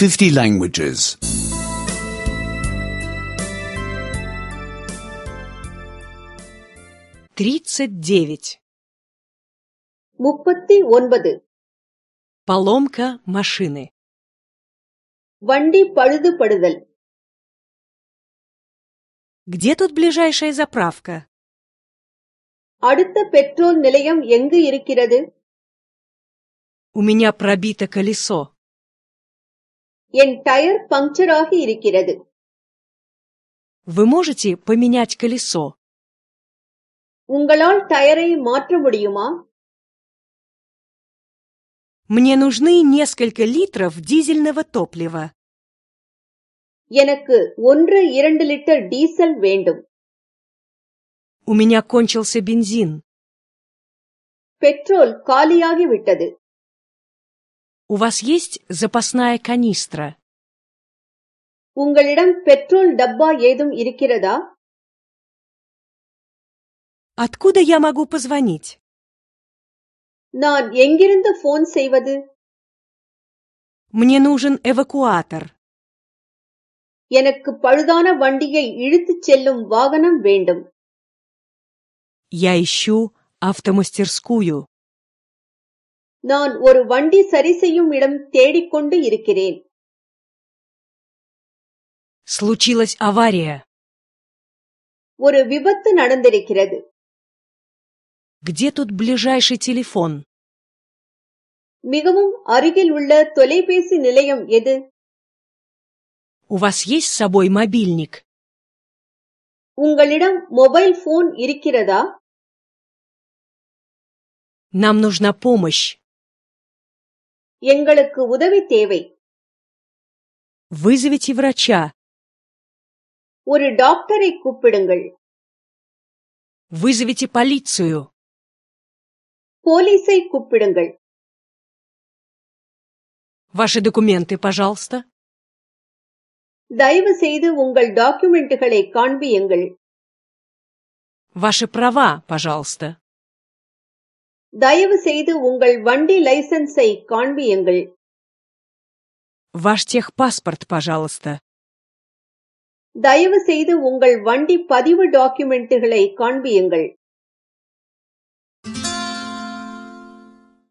50 languages. 39. 39. Поломка машины. வண்டி பழுதுபடுதல். Где тут ближайшая заправка? அடுத்த பெட்ரோல் நிலையம் எங்கு இருக்கிறது? У меня пробито колесо. என் டயர் பங்க்சர் ஆகி இருக்கிறது. Вы можете поменять колесо? உங்களால் டயரை மாற்ற முடியுமா? Мне нужны несколько литров дизельного топлива. எனக்கு 1-2 லிட்டர் டீசல் வேண்டும். У меня кончился бензин. பெட்ரோல் காலியாகி விட்டது. У вас есть запасная канистра? உங்களிடம் பெட்ரோல் டப்பா ஏதும் இருக்கிறதா? Откуда я могу позвонить? நான் எங்கிருந்து போன் செய்வது? Мне нужен эвакуатор. எனக்கு பழுதான வண்டியை இழுத்துச் செல்லும் வாகனம் வேண்டும். Я ищу автомастерскую. நான் ஒரு வண்டி சரி செய்யும் இடம் தேடிக்கொண்டு இருக்கிறேன். Случилась авария. ஒரு விபத்து நடந்திருக்கிறது. Где тут ближайший телефон? மிகவும் அருகில் உள்ள தொலைபேசி நிலையம் எது? У вас есть с собой мобильник? உங்களிடம் மொபைல் போன் இருக்கிறதா? Нам нужна помощь. எங்களுக்கு உதவி தேவை. Вызовите врача. ஒரு டாக்டரை கூப்பிடுங்கள். Вызовите полицию. போலீஸை கூப்பிடுங்கள். Ваши документы, пожалуйста. தயவு செய்து உங்கள் டாக்குமெண்ட்டுகளை காண்பியுங்கள். Ваши права, пожалуйста. தயவு செய்து உங்கள் வண்டி லைசென்ஸை காண்பியுங்கள். Ваш техпаспорт, пожалуйста. தயவு செய்து உங்கள் வண்டி பதிவு டாக்குமெண்ட்டுகளை காண்பியுங்கள்.